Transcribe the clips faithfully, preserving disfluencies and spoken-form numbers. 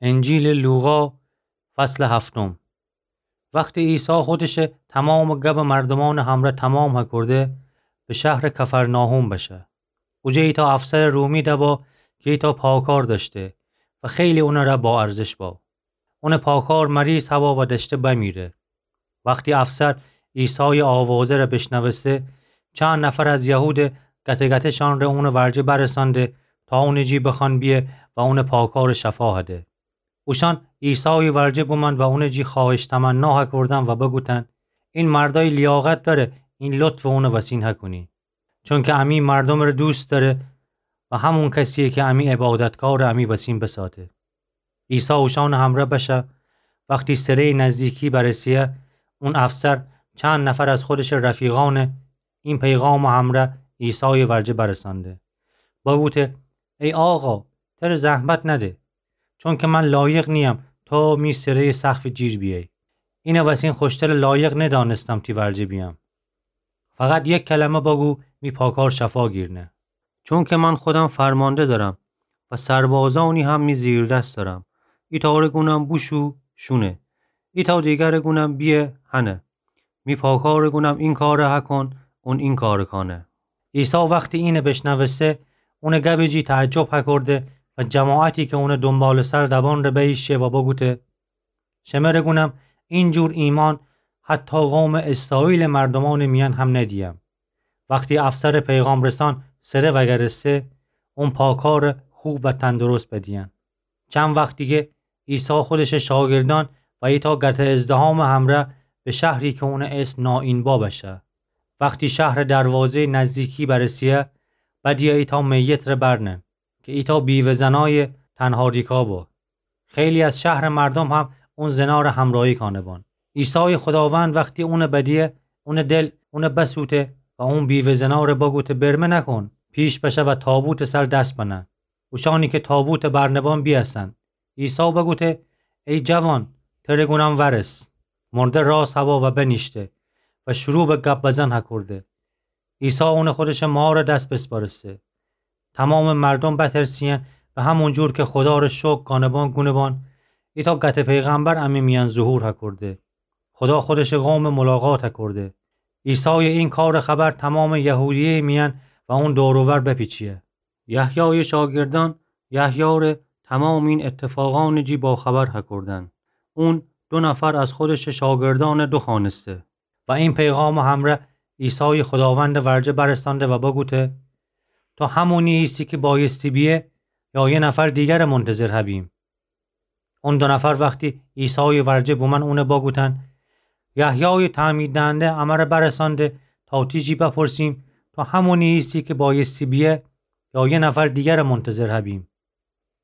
انجیلٚ لوقا، فصلٚ هفتم. وختی عیسی خودشٚ تومامٚ گبٚ مردومأنٚ همرأ تومام هکرده، به شهرٚ کفرناحوم بشه. اوجه ایتأ افسرٚ رومی دبا کی ایتأ پاکار دأشته و خیلی اونٚ ره با ارزش با. اونٚ پاکار مریض هوا و دأشته بمیره. وختی افسر عیسایٚ آوازه ره بیشنوسته، چند نفر از یهود گته‌گته‌شأن ره اونٚ ورجه برسأنده تا اونٚ جی بخوأن بیه و اونٚ پاکارٚ شفا هده. اوشأن عیسایٚ ورجه بومأن و اونٚ جی خوأهش تمنا هکردن و بگوتن: این مردأی لیاقت دأره این لطفٚ اونٚ وسین هکونی. چونکه امی مردومٚ ره دوست دأره و همون کسییه کی امی عبادتکارٚ امی وسین بساته. عیسی اوشأنٚ همرأ بشه. وختی سره‌یٚ نزدیکی برسه‌یه، اون افسر چند نفر از خودشٚ رفیقأنٚ این پیغامٚ همرأ عیسایٚ ورجه برسأنده. بوگوته: ای آقا، تره زحمت نده، چونکه من لایق نییم تو می سره‌یٚ سقفٚ جیر بیأیی. اینٚ وسین خوشترٚ لایق ندأنستم تی ورجه بیأم. فقط یک کلمه بگو، می پاکار شفا گیرنه. چونکه من خودم فرمانده دأرم و سربازأنی هم می زیردست دأرم. ایتأ ره گونم بوشو، شونه. ایتأ دیگر ره گونم بیه، هنه. می پاکار ره گونم این کار ره هکون، اون این کار ره کانه. عیسی وختی اینه بیشنوسته، اونٚ گبٚ جی تعجب هکرده و جماعتی کی اونٚ دونبالٚ‌سر دوان ره بییشه و بگوته: شمه ره گونم، این جور ایمأن حتی قومٚ اسرائیلٚ مردومأنٚ میأن هم ندییم. وختی افسرٚ پیغام‌رسأن سره وأگرسته، اون پاکار ره خوب و تندرست بدیین. چند وخت دیگه عیسی خودشٚ شاگردأن و ایتأ گته ازدحامٚ همرأ به شهری کی اونٚ اسم نائین با بشه. وختی شهرٚ دروازه‌یٚ نزدیکی برسه‌یه، بدیه ایتأ میت ره برنه کی ایتأ بیوه زنأیٚ تنها ریکا با. خیلی از شهرٚ مردوم هم اون زنا ره همراهی کانه بان. عیسایٚ خوداوند وختی اونه بدیه، اونٚ دل اونه بسوته و اون بیوه زنا ره بگوته: برمه نکون، پیش بشه و تابوتٚ سر دس بنه. اوشأنی کی تابوتٚ برنبان بیأسن. عیسی بگوته: ای جوان، تره گونم ورس. مرده راس هوا و بنیشته و شروع به گب بزن هکرده. عیسی اونٚ خودشٚ مارٚ دس بسپارسته. تومامٚ مردوم بترسیین و همون جور کی خودا ره شکر کانه بان گونه بان: ایتأ گته پیغمبر امی میأن ظهور هکرده. خودا خودشٚ قومٚ ملاقات هکرده. عیسایٚ این کارٚ خبر تومامٚ یهودیه‌یٚ میأن و اون دور و ور بپیچیه. یحیایٚ شاگردأن یحیی ره تومامٚ این اتفاقأنٚ جی باخبر هکردن. اون دو نفر از خودشٚ شاگردأن دوخوأنسته و این پیغامٚ همرأ عیسایٚ خوداوندٚ ورجه برسأنده و بگوته: تو همونی ایسی کی بایستی بیه، یا یه نفر دیگر منتظر هبیم؟ اون دو نفر وختی عیسایٚ ورجه بومأن اونه بگوتن: یحیایٚ تعمیددهنده امره برسأنده تا تی جی بپرسیم: تو همونی ایسی کی بایستی بیه، یا یه نفر دیگر منتظر هبیم؟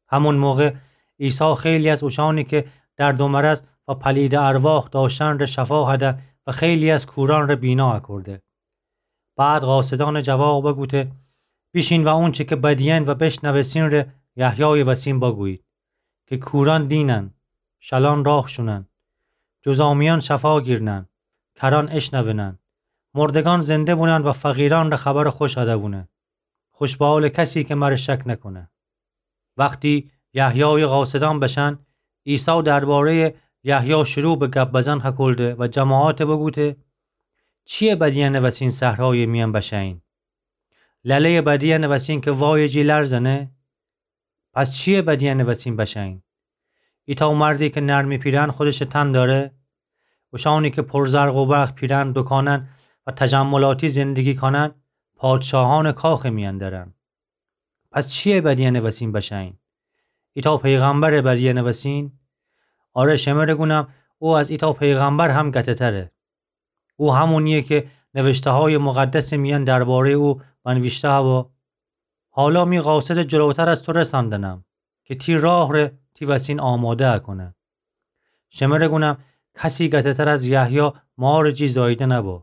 همون موقع عیسی خیلی از اوشأنی کی درد و مرض و پلیدٚ ارواح دأشتن ره شفا هده و خیلی از کورأن ره بینا هکرده. بعد قاصدأنٚ جواب بگوته: بیشین و اونچی کی بدیین و بشنوستین ره یحیایٚ وسین بگویید کی کورأن دینن، شلأن راه شونن، جذامیأن شفا گیرنن، کرأن اشنوینن، مردگأن زنده بونن و فقیرأن ره خبرٚ خوش هده بونه. خوشبحاله کسی کی مره شک نکونه. وختی یحیایٚ قاصدأن بشن، عیسی درباره‌یٚ یحیی شروع به گب بزن هکلده و جماعت بگوته: چییه بدیأنٚ وسین صحرایٚ میأن بشه‌یین؟ لله‌یٚ بدیأنٚ وسین کی وایٚ جی لرزنه؟ پس چییه بدیأنٚ وسین بشه‌یین؟ ایتأ مردی کی نرمی پیرهن خودشٚ تن دأره؟ اوشأنی کی پر زرق و برق پیرهن دوکانن و تجملاتی زندگی کانن، پادشاهأنٚ کاخٚ میأن درن. پس چییه بدیأنٚ وسین بشه‌یین؟ ایتأ پیغمبرٚ بدیأنٚ وسین؟ آره، شمره گونم، او از ایتأ پیغمبر هم گته‌تره. او همونییه کی نوشته‌هایٚ مقدسٚ میأن درباره‌یٚ او بنویشته هوا: حالا می قاصدٚ جلوتر از تو رسأندنم کی تی راه ره تی وسین آماده هکونه. شمره گونم، کسی گته‌تر از یحیی مارٚ جی زاییده نبو،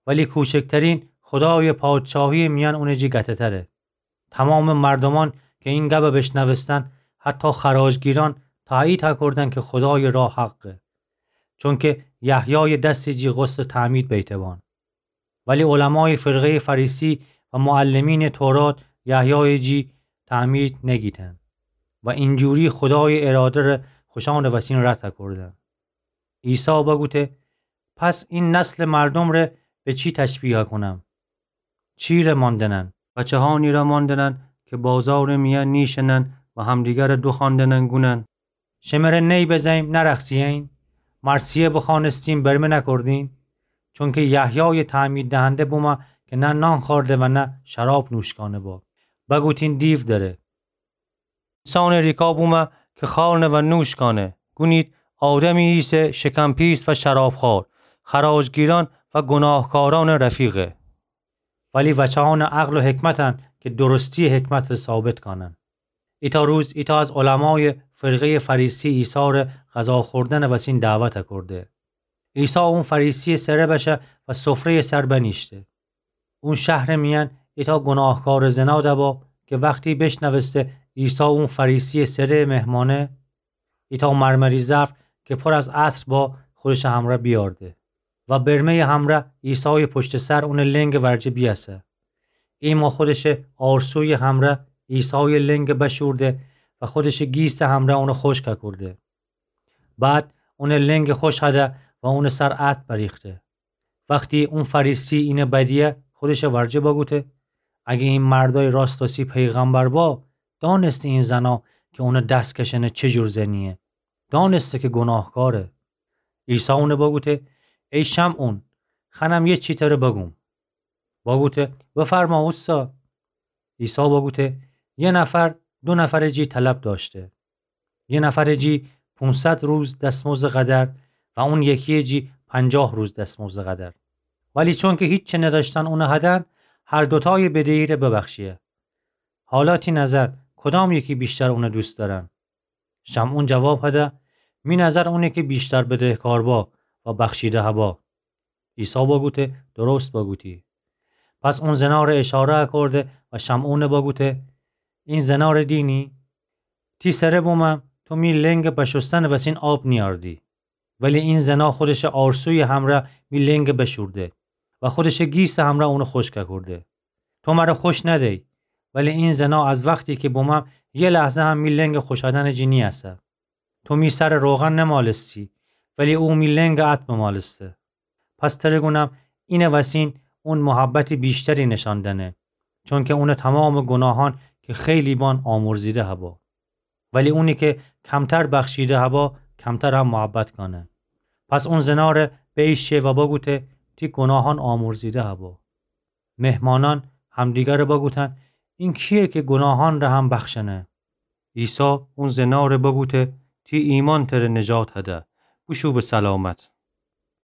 ولی کوچکترین خودایٚ پادشاهییٚ میأن اونٚ جی گته‌تره. تومامٚ مردومأن کی این گب بیشنوستن، حتی خراجگیرأن، تأیید هکردن کی خودایٚ راه حقه، چونکی یحیایٚ دسٚ جی غسلٚ تعمید بیته بان. ولی علمایٚ فرقه‌یٚ فریسی و معلمینٚ تورات یحیایٚ جی تعمید نگیتن. و اینجوری خودایٚ اراده‌ره خوشأنٚ وسین رد کوردن. عیسی بگوته: پس این نسلٚ مردومره به چی تشبیه کونم؟ چیره ماندنن؟ بچه‌هانیره ماندنن که بازارٚ میأن نیشینن و همدیگره دوخواندنن گونن: شمره نی بزه‌ییم نرخسیه‌یین؟ مرثیه بخوأنستیم برمه نکردین؟ چونکه یحیایٚ تعمیددهنده بومه که نه نان خوأرده و نه شراب نوشکأنه با، بگوتین دیو دأره. اینسانٚ ریکا بومه که خوأرنه و نوشکأنه، گونید آدمی ایسه شکم‌پیس و شرابخوأر، خراجگیرأن و گوناهکارأنٚ رفیقه. ولی وچه‌أنٚ عقل و حکمتن که درستیٚ حکمتٚ ره ثابت کأنن. ایتأ روز ایتأ از علمایٚ فرقه‌یٚ فریسی عیسیره غذا خوردنٚ وسین دعوت کرده. عیسی اون فریسیٚ سره بشه و سفره‌یٚ سر بنیشته. اون شهرٚ میأن ایتأ گوناهکارٚ زنا دبا که وختی بشنوسته عیسی اون فریسیٚ سره مهمأنه، ایتأ مرمری ظرف که پر از عطر با خودشٚ همرأ بیأرده و برمه‌یٚ همرأ عیسایٚ پشتٚ سر اونٚ لنگٚ ورجه بیأسه. ایمأ خودشٚ آرسویٚ همرأ عیسایٚ لنگ بشورده و خودشٚ گیسٚ همرأ اون خوشک کورده. بعد اونٚ لنگ خوشه‌ده و اونٚ سر عطر بریخته. وختی اون فریسی اینه بدیه، خودشٚ ورجه بگوته: اگه این مردای راست‌راستی پیغمبر با، دانسته این زنا که اونه دس کشأنه چه جور زنیه. دانسته که گوناهکاره. عیسی اونه بگوته: ای شمعون، خوأنم یه چی تره بگوم. بگوته: بفرما اوستا. عیسی بگوته: یه نفر دو نفرٚ جی طلب دأشته. یه نفرٚ جی پونصد روز دسمزدٚ قدر و اون یکییٚ جی پنجاه روز دسمزدٚ قدر. ولی چونکه هیچی ندأشتن اونه هدن، هر دوتایٚ بدهی‌ره ببخشیه. حالا تی نظر کدام یکی ویشتر اونه دوست دأرن؟ شمعون جواب هده: می نظر اونه که ویشتر بدهکار با و بخشیده هبا. عیسی بگوته: درست بگوتی. پس اون زناره اشاره کرده و شمعونه بگوته: این زناره دینی؟ تی سره بومم تو می لنگ بشوستنٚ وسین آب نیأردی. ولی این زنا خودشٚ آرسویٚ همرأ می لنگ بشورده و خودشٚ گیسٚ همرأ اونه خوشک کورده. تو مره خوش ندی، ولی این زنا از وختی که بومم یه لحظه هم می لنگ خوشأدنٚ جی نیأسه. تو می سر روغن نمالستی، ولی او می لنگ عطر بمالسته. پس تره گونم اینٚ وسین اون محبتٚ ویشتری نشأن دأنه، چونکه اونٚ تومامٚ گوناهأن که خیلی بان آمرزیده هبا. ولی اونی که کمتر بخشیده هبا، کمتر هم محبت کأنه. پس اون زناره بیشه و بگوته: تی گوناهأن آمرزیده هبا. مهمانأن همدیگره بگوتن: این کییه که گوناهأنٚ ره هم بخشأنه؟ عیسی اون زناره بگوته: تی ایمأن تره نجات هده، بوشو به سلامت.